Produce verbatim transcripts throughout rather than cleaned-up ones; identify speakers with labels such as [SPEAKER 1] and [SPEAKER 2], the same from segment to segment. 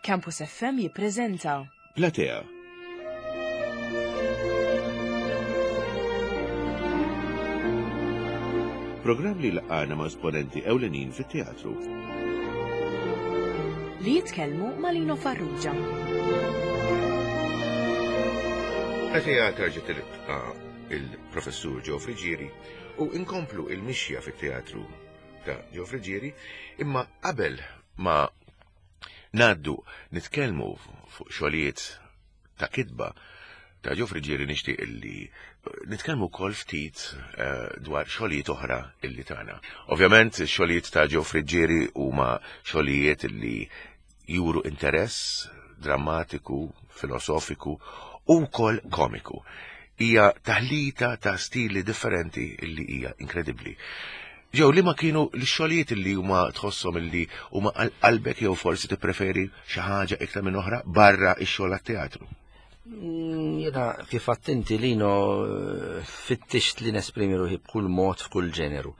[SPEAKER 1] Campus F M jippreżenta
[SPEAKER 2] Platea. Programm li laqana ma' esponenti ewlenin fit-teatru.
[SPEAKER 1] Li jitkellmu ma' Lino Farrugia.
[SPEAKER 2] Platea terġa' tilqa il-professur Joe Friggieri u inkomplu il-mixja fit-teatru ta' Joe Friggieri, imma qabel ma ngħaddu nitkellmu fuq xogħlijiet ta' kitba ta' Joe Friggieri, nixtieq illi nitkellmu wkoll ftit eh, dwar xogħlijiet oħra illi tagħna. Ovvjament, xogħlijiet ta' Joe Friggieri huma xogħlijiet illi juru interess drammatiku, filosofiku u wkoll komiku. Hija taħlita ta' stili differenti illi hija inkredibbli. Ġew li ma kienu l-xogħlijiet illi huma tħosshom illi huma għal qalbek jew forsi tippreferi xi ħaġa iktar minn oħra barra x-xogħol għat-teatru?
[SPEAKER 3] Mm, Jiena kif attenti, Lino, fittixt li nesprimi ruħi b'kull mod, f'kull ġeneru.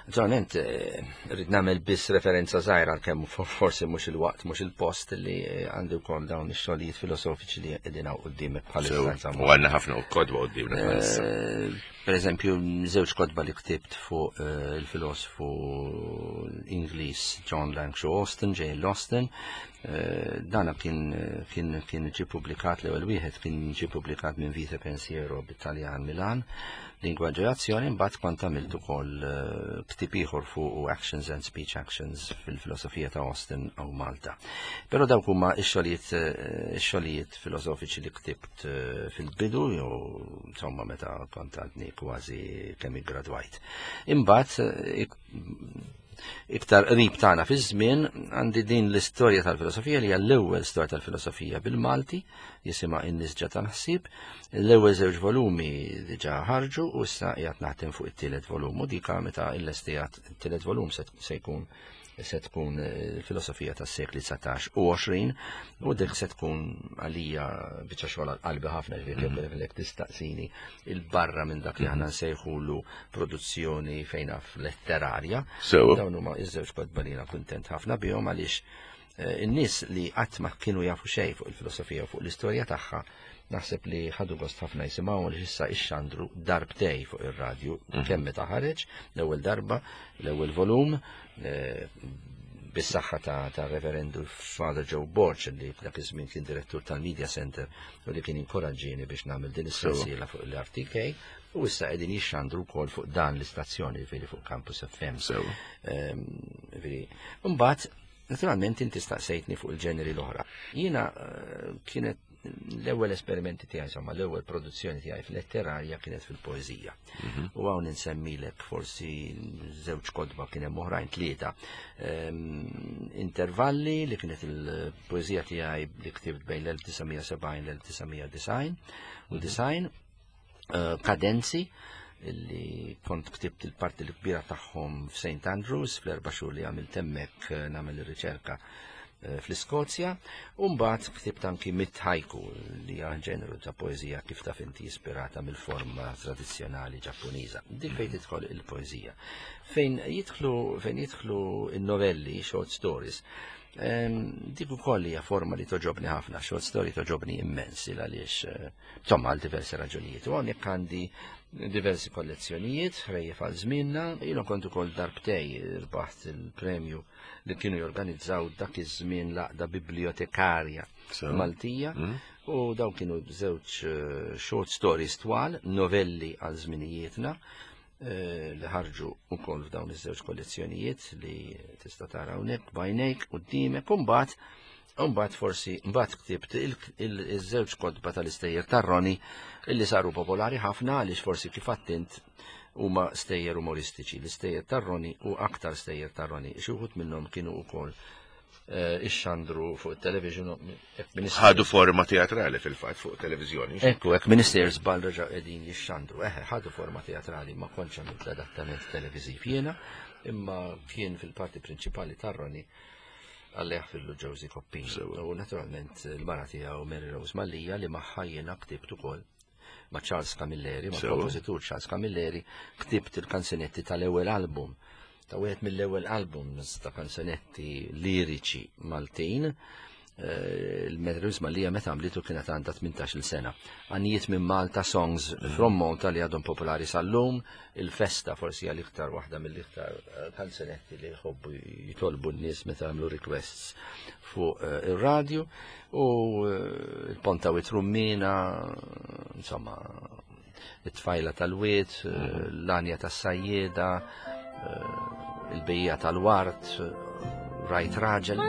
[SPEAKER 3] Naturalment, eh, rrid nagħmel biss referenza żgħira, għalkemm forsi mhux il-waqt, mhux il-post, li eh, għandi wkoll dawn ix-xogħlijiet filosofiċi li qegħdin hawn quddiemek bħalissa, insomma.
[SPEAKER 2] U għandna ħafna kotba quddiemna bħalissa.
[SPEAKER 3] Eh, Per eżempju, żewġ kotba li ktibt fuq eh, il-filosofu Ingliż John Langshaw Austin, J L. Austin. Eh, Dana kien kien kien ġie publikat, l-ewwel wieħed kien ġie publikat minn Vita Pensiero bit-Taljan, Milan, Lingwaġġ u Azzjoni. Mbagħad kont għamilt ukoll eh, ktieb ieħor fuq Actions and Speech Actions fil-filosofija ta' Austin u Malta. Però dawk huma x-xogħlijiet eh, ix-xogħlijiet filosofiċi li ktibt eh, fil-bidu jew insomma meta kont għadni kważi kemm iggradwajt. Imbagħad eh, ik- iktar qrib tagħna fi żmien għandi din l-istorja tal-filosofija li hija l-ewwel storja tal-filosofija bil-Malti, jisimha In-Nisġa tal-Ħsieb. L-ewwel żewġ volumi diġà ħarġu u issa qiegħed naħdem fuq it-tielet volum, u dika meta illestijat it-tielet volum se se jkun se tkun eh, filosofija tas-sekli dsatax u għoxrin, u dik se tkun għalija biċċa xogħol għal qalbi ħafna, ġifieri mm tistaqsini il-barra minn dak li aħna nsejħulu produzzjoni fejn naf letterarja.
[SPEAKER 2] Sew.
[SPEAKER 3] Dawn huma iż-żewġ kotba li jiena kuntent ħafna bihom, għaliex eh, in-nies li qatt ma kienu jafu xejn fuq il-filosofija u fuq l-istorja tagħha naħseb li ħadu gost ħafna jisimgħu, li issa ixxandru darbtej fuq ir-radju, kemm meta ħareġ l-ewwel darba l-ewwel volum eh, bis-saħħa ta', ta Reverendu Father Joe Borg, li dak iż-żmien kien direttur tal-Media Center u li kien inkoraġġieni biex nagħmel din is-sensiela fuq l-R T K, u issa qegħdin jixxandru wkoll fuq dan l-istazzjoni, ġifieri fuq Campus F M.
[SPEAKER 2] Sew.
[SPEAKER 3] Ehm, Ġifieri, mbagħad naturalment inti staqsejtni fuq il-ġeneri l-oħra. Jiena eh, kienet l-ewwel esperimenti tiegħi, insomma, l-ewwel produzzjoni tiegħi fil-letterarja kienet fil-poeżija. U hawn insemmilek forsi żewġ kotba, kien hemm oħrajn, tlieta. Ehm, Intervalli, li kienet il-poeżija tiegħi li ktibt bejn l-elf disa' mija sebgħin l-elf disa' mija disgħin u disgħin, eh, Kadenzi, illi kont ktibt il-parti l-kbira tagħhom f'Saint Andrews fl-erba' xhur li għamilt hemmhekk eh, nagħmel ir-riċerka eh, fl-Iskozja, u mbagħad ktibt anki mitt haiku, li hija ġeneru ta' poeżija, kif taf inti, ispirata mill-forma tradizzjonali Ġappuniża. Dik fejn tidħol il-poeżija. Fejn jidħlu fejn jidħlu in-novelli, short stories, em, dik ukoll hija forma li toġobni ħafna, short story toġobni immens, il għaliex eh, insomma għal diversi raġunijiet. U hawnhekk għandi diversi kollezzjonijiet, Ħrejjef għal Żmienna, jiena kont ukoll darbtej rbaħt il-premju li kienu jorganizzaw dak iż-żmien l-Għaqda Bibliotekarja
[SPEAKER 2] Sew.
[SPEAKER 3] Maltija, u daw kienu żewġ eh, short stories twal, Novelli għal Żminijietna, eh, li ħarġu ukoll f'dawn iż-żewġ kollezzjonijiet li tista' tara hawnhekk b'għajnejk quddiemek. U mbagħad Mbagħad forsi mbagħad ktibt il- il- iż-żewġ kotba tal-istejjer tar-Roni, illi saru popolari ħafna għaliex forsi kif attint huma stejjer umoristiċi, l-istejjer tar-Roni u Aktar Stejjer tar-Roni. Xi wħud minnhom kienu wkoll eh, ixxandru fuq il-television. Hekk minister-
[SPEAKER 2] Ħadu forma teatrali fil-fatt fuq televizjoni.
[SPEAKER 3] Ekku, hekk minister żball, reġa' qegħdin jixxandru. Eħe, ħadu forma teatrali, ma kontx għamilt l-adattament televiżiv jiena, imma kien fil-parti prinċipali tar-Roni għalleħ fil-Josie Coppin.
[SPEAKER 2] Sewa.
[SPEAKER 3] U naturalment il-mara tiegħu Mary Rose Mallia, li magħha jiena ktibt ukoll ma' Charles Camilleri, ma'
[SPEAKER 2] Sewa.
[SPEAKER 3] kompożitur Charles Camilleri, ktibt il-kanzunetti tal-ewwel album, ta' wieħed mill-ewwel albums ta' kanzunetti liriċi Maltin. Il-Mary Louise Mallia meta għamlitu kienet għandha tmintax-il sena. Għanijiet minn Malta, Songs from Malta li għadhom popolari sal-lum, il-festa forsi għal iktar waħda mill-iktar kanzunetti li jħobbu jitolbu n-nies meta għamlu requests fuq ir-radju, u il-Ponta u Trummina, insomma, it-tfajla tal-wiet, l-anja tas-sajjeda, il-bejja tal-wart, rajt raġel.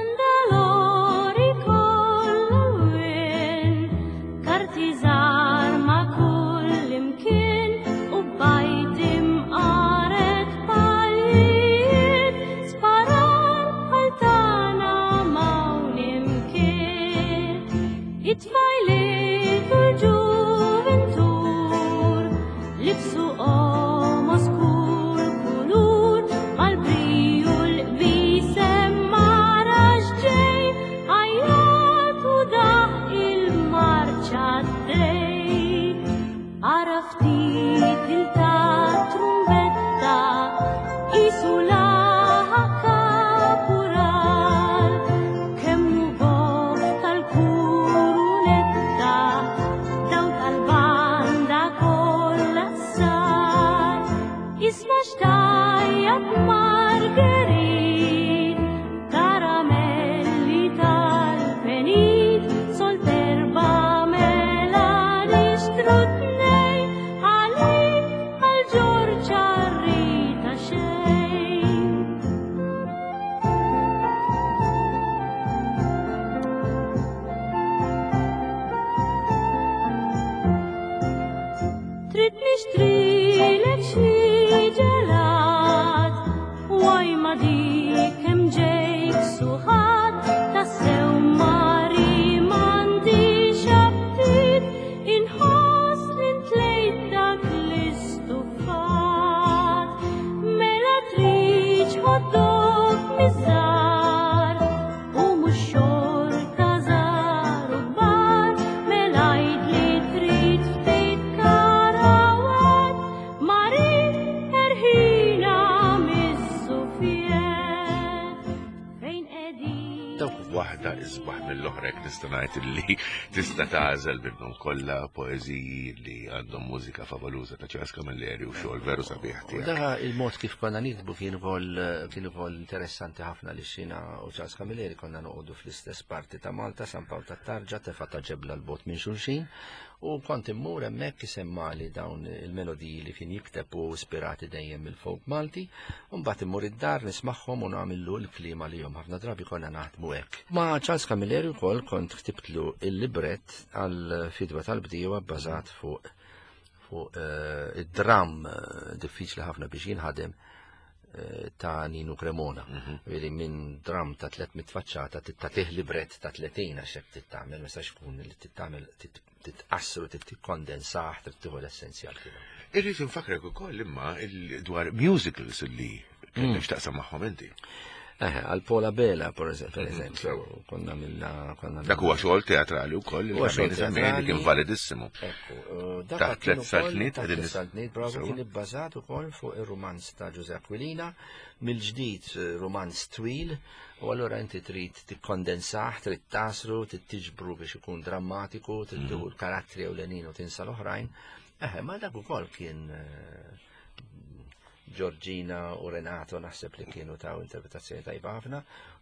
[SPEAKER 2] Li tista' tagħżel minnhom kollha poeżiji li għandhom mużika favoluża ta' Charles Camilleri u xogħol veru sabiħ tiegħek.
[SPEAKER 3] Daha il-mod kif konna nikbu kien ukoll kien ukoll interessanti ħafna li xina u Charles Camilleri konna noqogħdu fl-istess parti ta' Malta, San Pawl tat-Tarġa, tefa' ta' ġebla l-bot minn xulxin, u kont immur hemmhekk isemmali dawn il-melodiji li kien jikteb u ispirati dejjem mill-folk Malti, u mbagħad immur id-dar nismagħhom u nagħmillu l-klima li jom ħafna drabi konna naħdmu hekk. Ma' Charles Camilleri wkoll kont ktibtlu il-libret għal fidwa tal-bdiewa bbażat fuq fuq id-dram diffiċli ħafna biex jinħadem ta' Nino Cremona. Veri minn dram ta' tliet mitt faċċata tittatih libret ta' tletin għax hekk tittamel, ma jistax ikun li tittamel titqassru, tikkondensah, trid tieħu l-essenzjal tiegħu.
[SPEAKER 2] Irrid infakrek ukoll imma dwar musicals li kellek x'taqsam magħhom inti.
[SPEAKER 3] Eh, għal Paul Abela, per eżempju, konna minna...
[SPEAKER 2] Dak huwa xogħol teatrali wkoll,
[SPEAKER 3] Huwa xogħol teatrali.
[SPEAKER 2] Kien validissimu.
[SPEAKER 3] Ekku,
[SPEAKER 2] Ta'
[SPEAKER 3] dak
[SPEAKER 2] tliet saltniet,
[SPEAKER 3] ta'
[SPEAKER 2] qegħdin
[SPEAKER 3] tliet saltniet, bravo, kien ibbażat ukoll fuq ir-rumanz ta' Ġużè Aquilina, mill-ġdid rumanz twil, u allura inti trid tikkondensah, trid tasru, trid tiġbru biex ikun drammatiku, trid tieħu l-karattri ewlenin u tinsa l-oħrajn. Eh, ma dak ukoll kien Giorgina u Renato naħseb li kienu taw interpretazzjoni tajba ħafna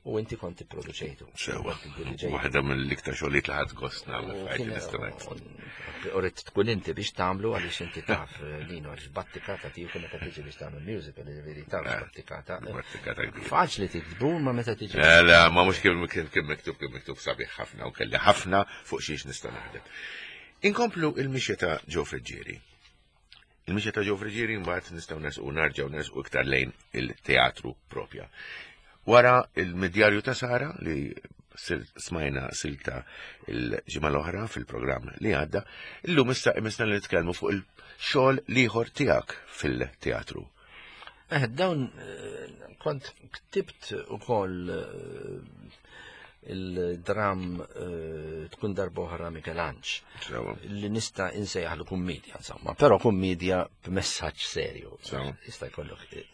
[SPEAKER 3] u inti kont tipproduċejtu.
[SPEAKER 2] Sewa.
[SPEAKER 3] Kont tiddirigejtu.
[SPEAKER 2] Waħda mill-iktar xogħlijiet li ħadd gost nagħmel
[SPEAKER 3] U
[SPEAKER 2] f'ħajti
[SPEAKER 3] kien-
[SPEAKER 2] nista' ngħid.
[SPEAKER 3] U rrid tkun inti biex tagħmlu għaliex inti taf Lino għaliex battikata tiegħu meta tiġi biex tagħmel musical, jiġifieri taf
[SPEAKER 2] Eh,
[SPEAKER 3] battikata.
[SPEAKER 2] Battikata kbira.
[SPEAKER 3] Faċli tiktbu ma meta tiġi.
[SPEAKER 2] Le, le, ma mhux kien kien kien miktub kien miktub sabiħ ħafna u kelli ħafna fuq xiex nista' naħdem. Inkomplu il-mixja ta' Joe Friggieri. Il-mixja ta' Joe Friggieri mbagħad nistgħu nersqu narġgħu nersqu iktar lejn il-teatru propja. Wara il-Midjarju ta' Sara li smajna silta il-ġimgħa l-oħra fil-programm li għadda, illum issa imisna li nitkellmu fuq il-xogħol l-ieħor tiegħek fil-teatru.
[SPEAKER 3] Eh, dawn, eh, kont ktibt ukoll, eh, il-dram, eh, tkun darboħra Mikelanġ.
[SPEAKER 2] Sewa.
[SPEAKER 3] Li nista' insejjaħlu kummedja, insomma, però kummedja b'messaġġ serju.
[SPEAKER 2] Sewa.
[SPEAKER 3] Jista' jkollok, eh,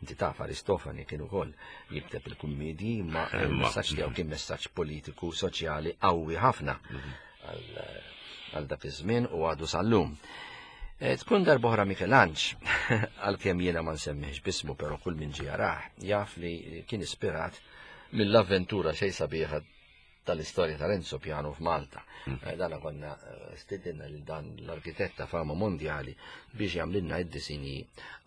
[SPEAKER 3] Inti taf Aristofani kien ukoll jikteb il-kummedji, imma il-messaġġ tiegħu kien messaġġ politiku, soċjali qawwi ħafna għal dak iż-żmien u għadu sal-lum. Tkun darb'oħra Michelangelo, għalkemm jiena ma nsemmihx bismu, però kull min ġie jarah jaf li kien ispirat mill-avventura xejn sabiħa tal-istorja ta' Renzo Piano f'Malta. Dana konna stedinna lil dan l-arkitetta fama mondjali biex jagħmlilna id-disinji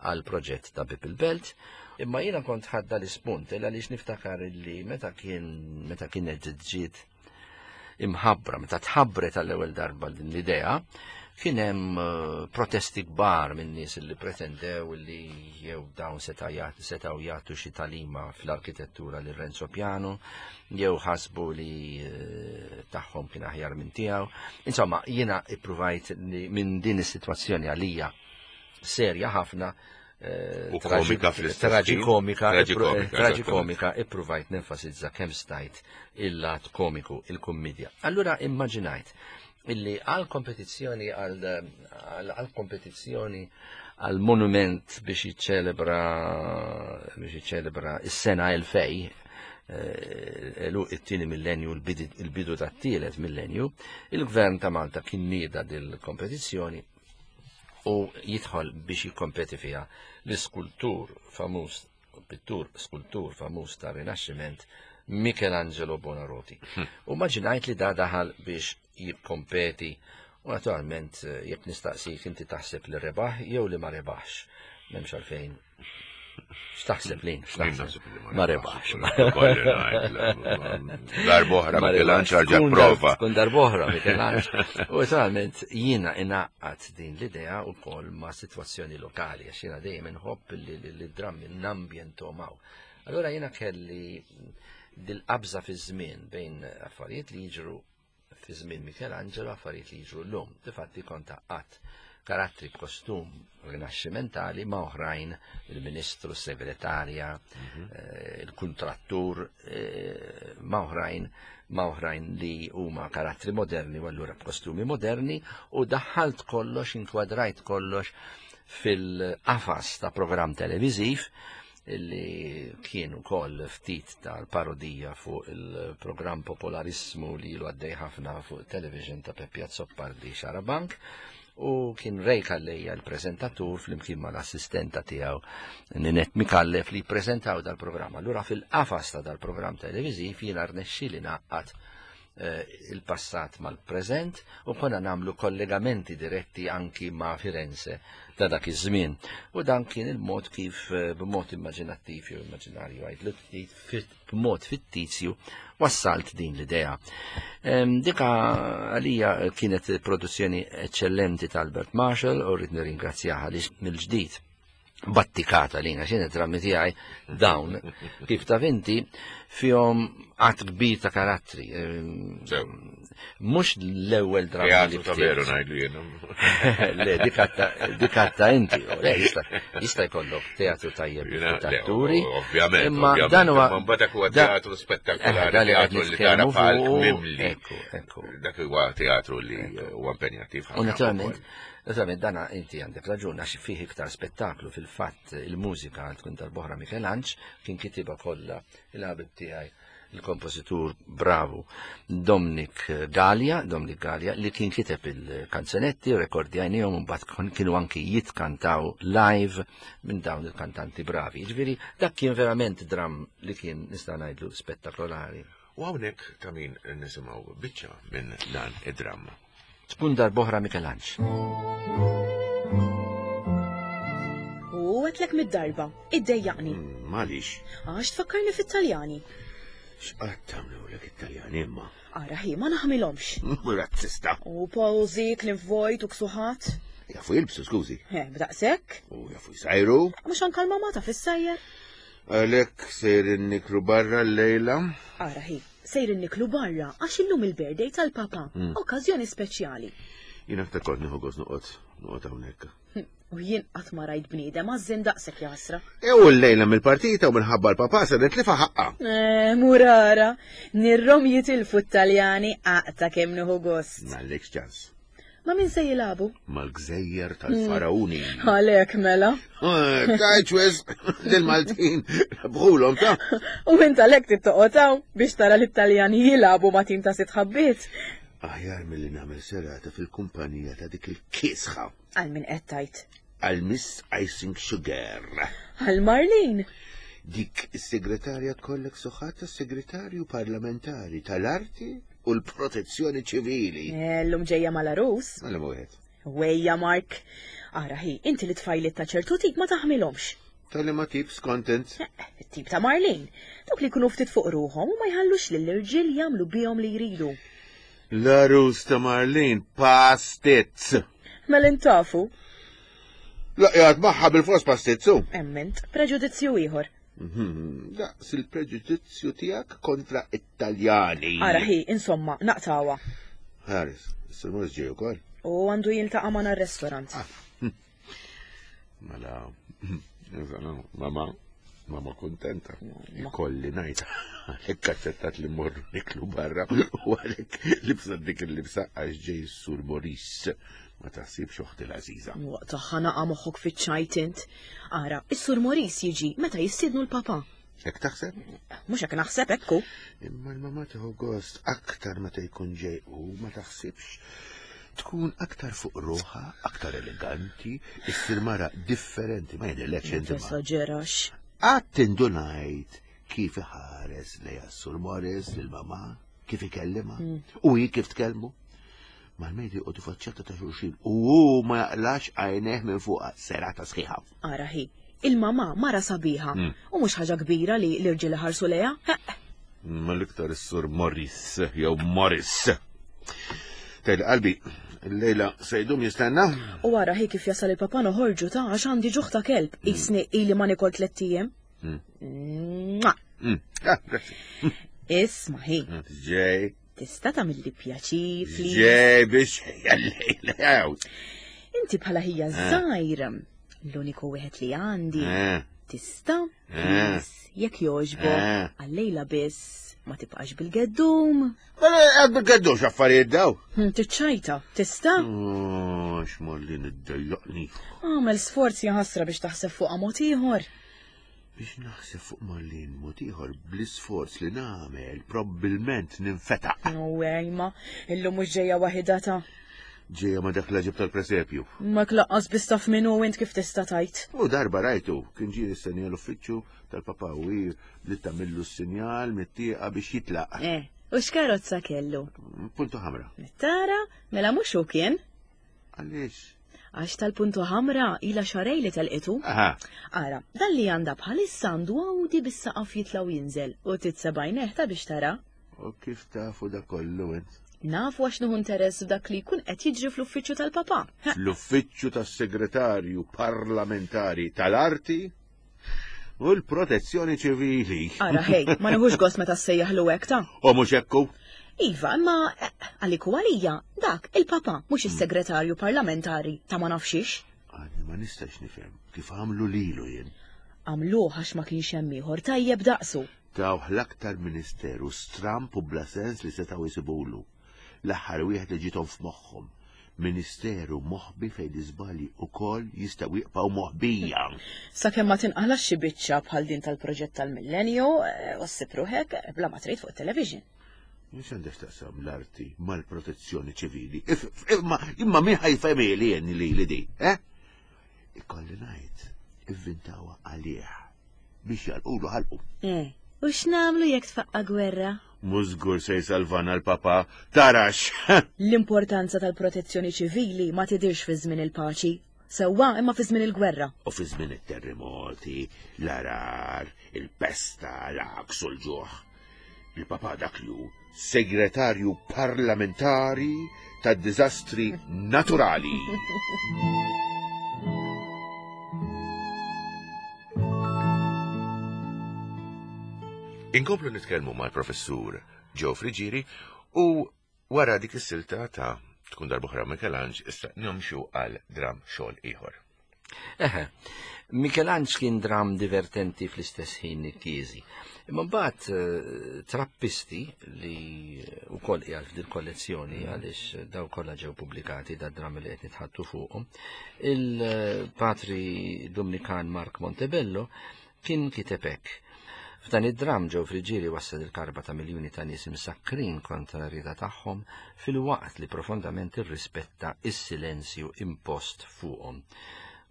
[SPEAKER 3] għal proġett ta' Bieb il-Belt. Imma jiena kont ħadda l-ispunt għaliex niftakar li meta kien meta kienet ġiet imħabbra, meta tħabbret għall-ewwel darba din l-idea, kien hemm protesti kbar minn nies li pretendew li jew dawn setgħu jagħtu xi talima fl-arkitettura lil Renzo Piano, jew ħasbu li tagħhom kien aħjar minn tiegħu. Insomma, jiena ippruvajt li minn din is-sitwazzjoni għalija serja ħafna, traġikomika, traġikomika, ippruvajt nenfasizza kemm stajt il-lat komiku, il-kummedja. Allura immaġinajt illi għal kompetizzjoni għal kompetizzjoni għal monument biex jiċċelebra biex jiċċelebra is-sena elfej, it-tieni millenju, il-bidu tat-tielet millenju, il-Gvern ta' Malta kien nieda dil-kompetizzjoni u jidħol biex jikkompeti fiha l-iskultur famuż, pittur skultur famuż ta' Rinaxximent Michelangelo Buonarroti. U maġinajt li da daħal biex jikkompeti u naturalment jekk nistaqsik inti taħseb li rebaħ jew li ma rebaħx. M'hemmx għalfejn. X'taħseb lin? X'taħseb? Ma rebaħx.
[SPEAKER 2] Darb'oħra Michelangelo ġa prova.
[SPEAKER 3] Tkun darb'oħra Michelangelo. U naturalment jiena inaqqat din l-idea wkoll ma' sitwazzjoni lokali għax jiena dejjem inħobb li d-drammi nambjentom hawn. Allura jiena kelli dil-qabża fi żmien bejn affarijiet li jiġru fi żmien Michelangelo, affarijiet li jiġru llum. Difatti kont għaqqadt karattri b'kostum rinaxximentali ma' oħrajn, il-ministru, s-segretarja, il-kuntrattur, ma' oħrajn ma' oħrajn li huma karattri moderni u allura b'kostumi moderni, u daħħalt kollox, inkwadrajt kollox fil-qafas ta' programm televiżiv illi kien ukoll ftit tal-parodija fuq il-programm popolarissmu li ilu għaddej ħafna fuq television ta' Peppi Azzopardi Xarabank, u kien Ray Calleja l-preżentatur flimkien mal-assistenta tiegħu Ninette Mikallef li ppreżentaw dal-programm. Allura fil-qafas ta' dal-programm televiżiv jiena rnexxieli naqqat il-passat mal-preżent u konna nagħmlu kollegamenti diretti anki ma' Firenze ta' dak iż-żmien. U dan kien il-mod kif b'mod immaġinattiv jew immaġinarju għajdlu ftit b'mod fittizju wassalt din l-idea. Dika għalija kienet produzzjoni eccellenti ta' Albert Marshall u rrid nirringrazzjaha għaliex mill-ġdid battikata lina xejn id-drammi tiegħi dawn kif taf inti fihom għadd kbir ta' karattri. Mhux l-ewwel dramma li
[SPEAKER 2] ta' veru ngħidlu jien.
[SPEAKER 3] Le, dik inti, le jista' jkollok teatru tajjeb tatturi.
[SPEAKER 2] Ovvjament, imma dan huwa mbagħad huwa teatru spettakolari, teatru li tara palk mimli. Dak huwa teatru li huwa impenjattiv
[SPEAKER 3] ħafna. U naturalment, naturalment dana inti għandek raġun għax fih iktar spettaklu. Fil-fatt il-mużika għal tkun darb'oħra Michelangelo kien kitibha kollha il-ħabib tiegħi il-kompożitur bravu Dominic Gallia, Dominic Gallia li kien kiteb il-kanzonetti, rekordjajnihom u mbagħad kienu anki jitkantaw live minn dawn il-kantanti bravi. Jiġifieri dak kien verament dram li kien nista' ngħidlu spettakolari.
[SPEAKER 2] U hawnhekk ta' min nisimgħu biċċa minn dan id-dramma.
[SPEAKER 3] Tkun darb'oħra Michelangelo.
[SPEAKER 1] U għetlek mid-darba, iddejjaqni.
[SPEAKER 2] Malix?
[SPEAKER 1] Għax tfakkarni fit-Taljani.
[SPEAKER 2] X'qatt tagħmlulek it-Taljani imma?
[SPEAKER 1] Ara hi, ma naħmilhomx.
[SPEAKER 2] Razzista.
[SPEAKER 1] U pożi, kliem vojt u ksuħat.
[SPEAKER 2] Jafu jilbsu, skużi.
[SPEAKER 1] Eh, b'daqshekk.
[SPEAKER 2] U jafu jsajru.
[SPEAKER 1] Mhux anke l-mamà taf issajjer.
[SPEAKER 2] Għalhekk sejrin niklu barra llejla?
[SPEAKER 1] Ara hi, sejrin niklu barra għax illum il-birthday tal-papa, okkażjoni speċjali.
[SPEAKER 2] Jien aktar kont nieħu gost noqgħod noqgħod hawnhekk.
[SPEAKER 1] U jien qatt ma rajt bniedem għażżien daqshekk jasra.
[SPEAKER 2] U llejla mill-partita u minħabba l-papà se nitlifa ħaqqa.
[SPEAKER 1] Eh, murara, nirrom jitilfu t-Taljani aqta kemm nieħu gost.
[SPEAKER 2] M'għandekx ċans.
[SPEAKER 1] Ma min se jilagħbu?
[SPEAKER 2] Mal-gżejjer tal-Faraoni.
[SPEAKER 1] Għalek mela.
[SPEAKER 2] Tajċ wisq, lil-Maltin, bħulhom ta'
[SPEAKER 1] U int għalek tittoqgħod biex tara l-Italjani jilagħbu ma' tim ta' sitt ħabbiet.
[SPEAKER 2] Aħjar milli nagħmel serata fil-kumpanija ta' dik il-kisħa.
[SPEAKER 1] Għal min qed tgħid?
[SPEAKER 2] Għal Miss Icing Sugar.
[SPEAKER 1] Għal Marlene.
[SPEAKER 2] Dik is-segretarja kollek soħat tas-segretarju parlamentari tal-arti u l-protezzjoni ċivili.
[SPEAKER 1] Llum ġejja mal-arus.
[SPEAKER 2] Mela wieħed.
[SPEAKER 1] Wejja, Mark. Ara hi, inti li tfajliet ta' ċertu tip ma taħmilhomx.
[SPEAKER 2] Tal ma tip skontent.
[SPEAKER 1] Eh, tip ta' Marlene. Dawk li jkunu ftit fuq ruħhom u ma jħallux lill-irġiel jagħmlu bihom li jridu.
[SPEAKER 2] L-arus ta' Marlene pastizz.
[SPEAKER 1] Mela intafu.
[SPEAKER 2] Laqjat magħha bil-fors pastizzu.
[SPEAKER 1] Emment, preġudizzju ieħor.
[SPEAKER 2] Mhm, daqs il-preġudizzju tiegħek kontra Italjani.
[SPEAKER 1] Ara hi, insomma, naqtawa.
[SPEAKER 2] Ħares, is-Sur Morris ġej ukoll.
[SPEAKER 1] U għandu jiltaqa' magħna r-restaurant.
[SPEAKER 2] Mela, mama, mama kontenta. Ikolli ngħid, għalhekk aċċettat li mmorru niklu barra u għalhekk libsa dik il-libsa għax ġej Sur Morris. Ma taħsibx oħti l-għażiża.
[SPEAKER 1] Waqt ħanaqa moħħok fiċ-ċajt int. Ara, is-Sur Morris jiġi meta jistiednu l-papa.
[SPEAKER 2] Hekk taħseb?
[SPEAKER 1] Mhux hekk naħseb ekku.
[SPEAKER 2] Imma l-mama tieħu gost aktar meta jkun ġej u ma taħsibx. Tkun aktar fuq ruħha, aktar eleganti, issir mara differenti, ma jidhirlekx inti ma.
[SPEAKER 1] Tesaġerax.
[SPEAKER 2] Qatt indunajt kif iħares lejha Sur Morris lil-mama, kif ikellima, u hi kif tkellmu. Mal-mejdi u faċċata ta' xulxin u hu ma jaqlax għajneh minn fuqha serata sħiħa.
[SPEAKER 1] Ara hi, il-mama mara sabiħa u mhux ħaġa kbira li l-irġiel ħarsu lejha.
[SPEAKER 2] Ma l-iktar is-Sur Morris jew Morris. Tgħid qalbi, il-lejla se jdum jistenna?
[SPEAKER 1] U ara hi kif jasal il-papa noħorġu ta' għax għandi ġuħ ta' kelb, isni ili ma nikol tlett ijiem. Mwah!
[SPEAKER 2] Mm. Ah, grazzi.
[SPEAKER 1] Isma' hi,
[SPEAKER 2] Ġej,
[SPEAKER 1] tista' tagħmilli pjaċir, please.
[SPEAKER 2] ġej biex jallejla.
[SPEAKER 1] Inti bħala ħija żgħir, l-uniku wieħed li għandi.
[SPEAKER 2] Eh.
[SPEAKER 1] Tista'
[SPEAKER 2] Eh.
[SPEAKER 1] please, jekk jogħġbok,
[SPEAKER 2] Eh.
[SPEAKER 1] għal-lejla biss ma tibqax bil-geddum.
[SPEAKER 2] Mela għad bil-geddum x'affarijiet daw.
[SPEAKER 1] Hm, Tiċċajta, tista'?
[SPEAKER 2] Oh, x'molli niddejjaqni.
[SPEAKER 1] Għamel sforzi ħasra biex taħseb fuq mod ieħor.
[SPEAKER 2] Biex naħseb fuq Marlene mod ieħor bl-isforz li nagħmel probbilment ninfetaq.
[SPEAKER 1] U ejma, illum mhux ġejja waħida ta'
[SPEAKER 2] Ġejja ma dak l-ġib tal-presepju.
[SPEAKER 1] Ma klaqqas biss taf minnu int kif tista' tajt.
[SPEAKER 2] U darba rajtu, kien ġie jistenni l-uffiċċju tal-papa u hi li tagħmillu s-sinjal mit-tieqa biex jitlaq.
[SPEAKER 1] Eh, u x'karozza kellu?
[SPEAKER 2] Punto ħamra.
[SPEAKER 1] Tara, mela mhux hu kien.
[SPEAKER 2] Għaliex?
[SPEAKER 1] Għax tal-punto ħamra ila xarej li telqitu.
[SPEAKER 2] Aha,
[SPEAKER 1] Ara, dan li għandha bħalissa għandu Audi bis-saqaf jitla' u jinżel u titsebajneħ ta' biex tara.
[SPEAKER 2] u kif tafu da kollu int?
[SPEAKER 1] Nafu għax nieħu interess f'dak li jkun qed jiġri fl-uffiċċju tal-papa. Ha,
[SPEAKER 2] L-uffiċċju tas-segretarju parlamentari tal-arti u l-protezzjoni ċivili.
[SPEAKER 1] Ara, hej, ma nieħux gost meta ssejjaħlu hekk ta'
[SPEAKER 2] U mhux ekku?
[SPEAKER 1] Iva, imma eh, għalik u għalija, dak il-papa, mhux is-segretarju parlamentari ta' ma nafxiex.
[SPEAKER 2] Għadni ma nistax nifhem kif għamlu lilu jien.
[SPEAKER 1] Għamluh għax ma kienx hemm ieħor tajjeb daqsu.
[SPEAKER 2] Tawh l-aktar ministeru stramp u bla sens li setgħu jsibulu. L-aħħar wieħed li ġiethom f'moħħhom. Ministeru moħbi fejn l-iżbalji ukoll jistgħu jibqgħu moħbija.
[SPEAKER 1] Sakemm ma tinqalax xi biċċa bħal din tal-proġett tal-millenju, eh, u ssib ruħek eh, bla ma trid fuq television.
[SPEAKER 2] Mhux għandek taqsam l-arti mal-protezzjoni ċivili. If- Imma imma min ħa jfhimhieli jien li li di, eh? Ikolli ngħid, ivvintawha għalih biex jalqulu ħalqu.
[SPEAKER 1] Eh, u x'nagħmlu jekk tfaqqa gwerra?
[SPEAKER 2] Mhux żgur se jsalvana l-papa, tarax.
[SPEAKER 1] L-importanza tal-protezzjoni ċivili ma tidirx fi żmien il-paċi, sewwa imma fi żmien il-gwerra.
[SPEAKER 2] U fi żmien it-terremoti, l-għargħar, il-pesta, l-għaks u l-ġuħ. Il-papa dak li hu segretarju parlamentari tad-diżastri naturali. Inkomplu nitkellmu mal-professur Joe Friggieri u wara dik is-silta ta' tkun darb'oħra Michelangelo issa nimxu għal dram xogħol ieħor.
[SPEAKER 3] Eħe, Mikelanġ kien dram divertenti fl-istess ħin kieżi. Imma mbagħad eh, Trappisti li wkoll qiegħed f'dil kollezzjoni għaliex daw kollha ġew pubblikati da dram li qed nitħattu fuqhom, il-patri Dominikan Mark Montebello kien kiteb hekk. F'dan id-dram Joe Friggieri wassal il-karba ta' miljuni ta' nies imsakrin kontra r-rieda tagħhom filwaqt li profondament irrispetta is-silenzju impost fuqhom.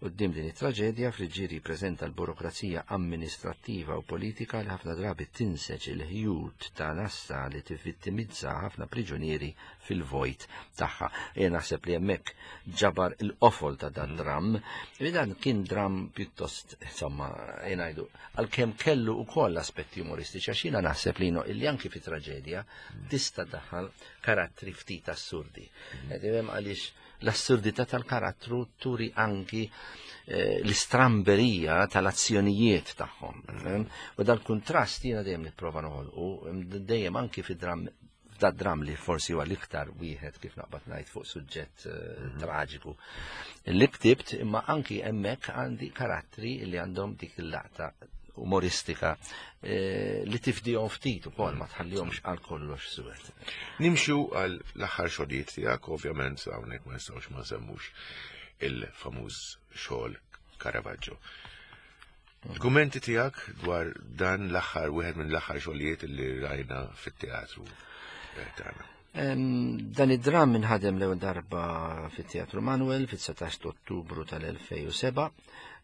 [SPEAKER 3] Quddiem din it-traġedja, Friggieri jippreżenta l-burokrazija amministrattiva u politika li ħafna drabi tinseġ il-ħjut ta' nassa li tivvittimizza ħafna priġunieri fil-vojt tagħha. Jien naħseb li hemmhekk ġabar il-qofol ta' dan dram. Li dan kien dram pjuttost, insomma, jien ngħidu, għalkemm kellu wkoll aspetti umoristiċi, għax jiena naħseb li no, illi anki fi traġedja tista' daħal karattri ftit assurdi. Qed għaliex l-assurdità tal-karattru turi anki eh, l-istramberija tal-azzjonijiet tagħhom. U dal-kuntrast jiena dejjem nipprova noħolqu, dejjem anki fi dram da dram li forsi huwa l-iktar wieħed kif naqbad ngħid fuq suġġett eh, traġiku. Li ktibt imma anki hemmhekk għandi karattri li għandhom dik il-laqta umoristika eh, li tifdihom ftit ukoll ma tħallihomx għal kollox suwed.
[SPEAKER 2] Nimxu għal l-aħħar xogħlijiet tiegħek, ovvjament hawnhekk ma nistgħux ma nsemmux il-famuż xogħol Caravaggio. Il-kummenti tiegħek dwar dan l-aħħar wieħed minn l-aħħar xogħlijiet li rajna fit-teatru eh, tagħna.
[SPEAKER 3] Em, Dan id-dram inħadem l-ewwel darba fit-Teatru Manuel fit-dsatax ta' Ottubru tal-elfejn u seba'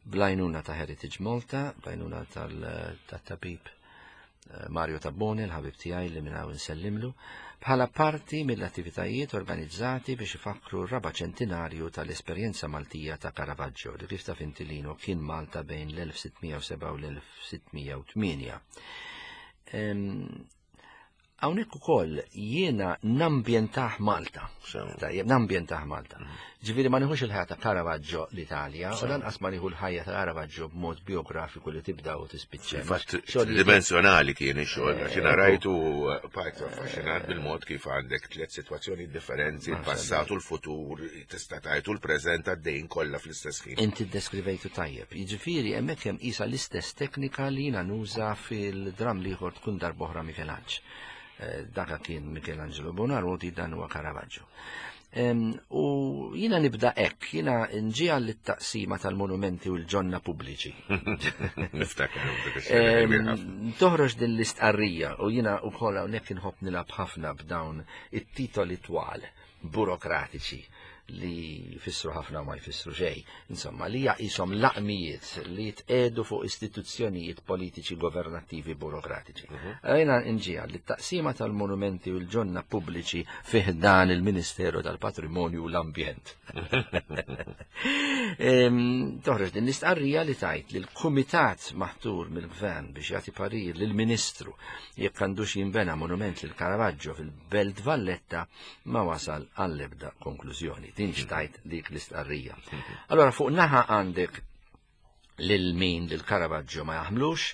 [SPEAKER 3] bl-għajnuna ta' Heritage Malta, bl-għajnuna tal-tabib eh, Mario Tabbone, l-ħabib tiegħi li minn hawn insellimlu, bħala parti mill-attivitajiet organizzati biex ifakru r-raba' ċentinarju tal-esperjenza Maltija ta' Caravaggio, li kif taf inti Lino kien Malta bejn l-elf sittmija u seba' u l-elf sittmija u tmienja. Em, Hawnhekk ukoll jiena nambjentah Malta.
[SPEAKER 2] Sew.
[SPEAKER 3] Tajjeb, nambjentah Malta. Ġifieri ma nieħux il-ħajja ta' Caravaggio l-Italja, u lanqas ma nieħu l-ħajja ta' Caravaggio b'mod biografiku li tibda u tispiċċa.
[SPEAKER 2] Fatt
[SPEAKER 3] Xogħlijiet-
[SPEAKER 2] dimensjonali kien ix-xogħol, għax jiena rajtu bqajt affaxxinat bil-mod kif għandek tliet sitwazzjoni differenti, il-passat u l-futur, tista' tgħid u l-preżent għaddejjin kollha fl-istess ħin.
[SPEAKER 3] Inti ddeskrivejtu tajjeb. Jiġifieri hemmhekk hemm qisha l-istess teknika li jiena nuża fil-dram l-ieħor Tkun Darb'oħra Mikelanġ. Eh, Daka kien Michelangelo Buonarroti, dan huwa Caravaggio. Em, U jiena nibda hekk, jiena nġi għall-taqsima tal-monumenti u l-ġonna pubbliċi.
[SPEAKER 2] Niftakar dik ix-xena kbir ħafna.
[SPEAKER 3] Em, Toħroġ din l-istqarrija u jiena wkoll hawnhekk inħobb nilgħab ħafna b'dawn it-titoli twal burokratiċi li jfissru ħafna u ma jfissru xejn. Insomma, li jaqishom laqmijiet li jitqedu fuq istituzzjonijiet politiċi, governattivi, burokratiċi. Jiena nġi li t-taqsima tal-monumenti u l-ġonna pubbliċi fih dan il-Ministeru tal-Patrimonju u l-Ambjent. Em, Toħroġ din l-istqarrija li tajt li l-kumitat maħtur mill-gvern biex jagħti parir lill-Ministru jekk għandux jinbena monument lil Caravaggio fil-Belt Valletta ma wasal għall-ebda konklużjoni. Din xtajt dik l-istqarrija. Allora fuq naħa għandek lil min lil Caravaggio ma jaħmlux,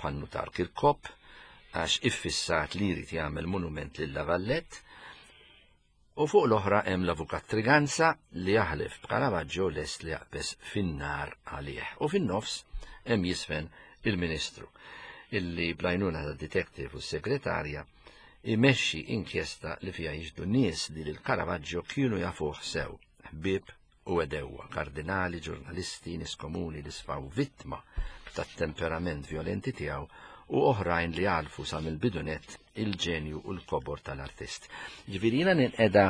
[SPEAKER 3] pannu tar Kirkop, għax iffissat li jrid jagħmel monument lil La Vallette, u fuq l-oħra hemm l-avukat Triganza li jaħlef b'Caravaggio lest li jaqbes fin-nar għalih. U fin-nofs hemm jisfen il-Ministru illi bl-għajnuna ta' detective u s-segretarja imexxi inkjesta li fiha jiġdu nies li lil Caravaggio kienu jafuh sew, ħbieb u għedewwa, kardinali, ġurnalisti, nies komuni li sfaw vittma tat-temperament violenti tiegħu u oħrajn li għalfu sa mill-bidunet il-ġenju u l-kobor tal-artist. Ġifieri jiena ninqeda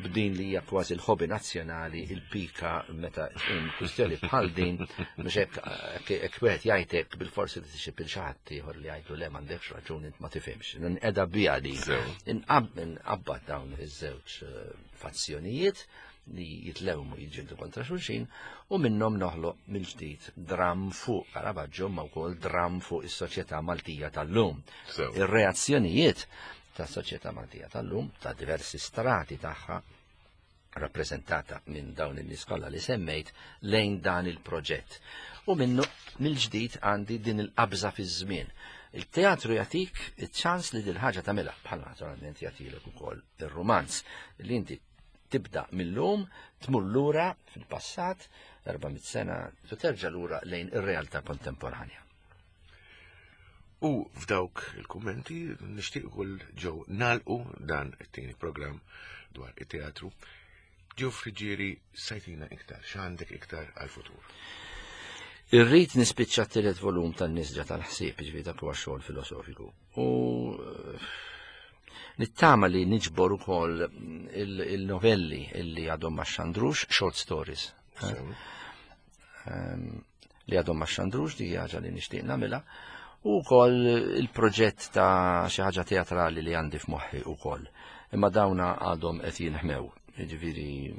[SPEAKER 3] b'din li hija kważi l-hobby nazzjonali, il-pika meta tqum kwistjoni bħal din, mhux hekk hekk wieħed jgħidlek bil-forsi li tixib il xi ħadd ieħor li jgħidlu le m'għandekx raġun int ma tifhimx. Ninqeda biha din.
[SPEAKER 2] Sew.
[SPEAKER 3] Inqab- Inqabbad dawn iż-żewġ eh, fazzjonijiet li jitlewmu jiġġieldu kontra xulxin u minnhom noħloq mill-ġdid dram fuq Caravaggio ma wkoll dram fuq is-soċjetà Maltija tal-lum.
[SPEAKER 2] Sew.
[SPEAKER 3] Ir-reazzjonijiet tas-soċjetà Maltija tal-lum ta' diversi strati tagħha rappreżentata minn dawn in-nies kollha li semmejt lejn dan il-proġett. U minnu mill-ġdid għandi din il-qabża fiż-żmien. Il-teatru jagħtik iċ-ċans li dil ħaġa tagħmilha, bħal naturalment jagħtilek ukoll ir-rumanz li inti tibda mill-lum, tmur lura fil-passat, erba' mitt sena, u terġa' lura lejn ir-realtà kontemporanja.
[SPEAKER 2] U f'dawk il-kummenti nixtieq ukoll ġew nagħlqu dan it-tieni programm dwar it-teatru. Joe Friggieri, sajtina iktar, x'għandek iktar għal-futur?
[SPEAKER 3] Irrid nispiċċa t-tielet volum tan-nisġa tal-ħsieb, jiġifieri dak huwa xogħol filosofiku. U nittama li niġbor ukoll il-novelli illi għadhom ma xandrux, short stories. Li għadhom ma xandrux, di ħaġa li nixtieq nagħmilha. U wkoll il-proġett ta' xi ħaġa teatrali li għandi f'moħħi wkoll. Imma dawna għadhom qed jinħmew. Jiġifieri,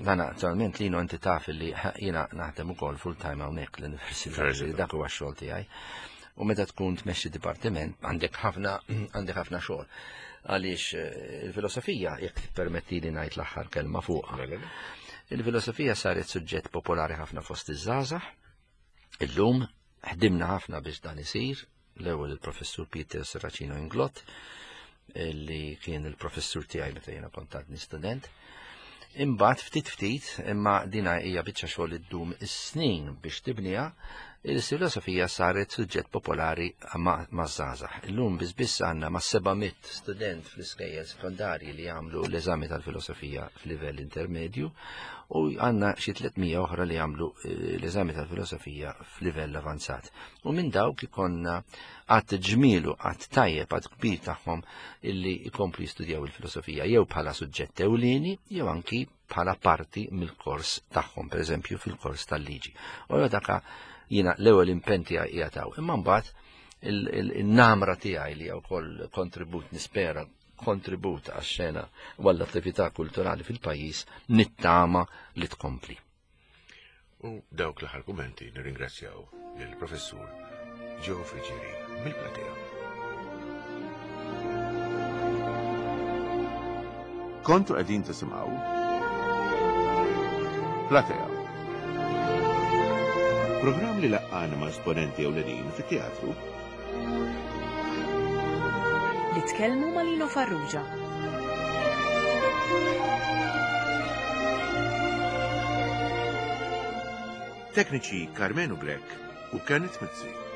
[SPEAKER 3] dan attualment lino inti taf li jiena naħdem ukoll full time hawnhekk l-università, dak huwa x-xogħol tiegħi. U meta tkun tmexxi dipartiment għandek ħafna għandek ħafna xogħol. Għaliex il-filosofija, jekk tippermettili ngħid l-aħħar kelma fuqha. Il-filosofija saret suġġett popolari ħafna fost iż-żgħażagħ. Illum ħdimna ħafna biex dan isir, l-ewwel il-professur Peter Serracino Inglott, li kien il-professur tiegħi meta jiena kont għadni student. Imbagħad ftit ftit, imma dina hija biċċa xogħol iddum is-snin biex tibniha, il-filosofija saret suġġett popolari maż-żgħażagħ. Illum biss biss għandna ma' seba' mitt student fl-iskejjel sekondarji li jagħmlu l-eżami tal-filosofija f'livell intermedju u għandna xi tliet mija oħra li jagħmlu l-eżami tal-filosofija f'livell avanzat. U minn dawk ikonna għadd ġmielu, għadd tajjeb, għadd kbir tagħhom illi jkomplu jistudjaw il-filosofija jew bħala suġġett ewlieni jew anki bħala parti mill-kors tagħhom, pereżempju fil-kors tal-liġi. U daka jiena l-ewwel impenn tiegħi qiegħed hawn. Imma mbagħad il-namra tiegħi li wkoll kontribut nispera kontribut għax-xena u għall-attività kulturali fil-pajjiż nittama li tkompli.
[SPEAKER 2] U dawk l-aħħar kummenti nirringrazzjaw lill-professur Joe Friggieri mill-platea.
[SPEAKER 4] Kontu qegħdin tisimgħu Platea.
[SPEAKER 2] Programm li laqqana ma' esponenti ewlenin fit-teatru.
[SPEAKER 1] Li tkellmu ma' Lino Farrugia.
[SPEAKER 2] Tekniċi Carmenu Grech u Kenneth Mizzi.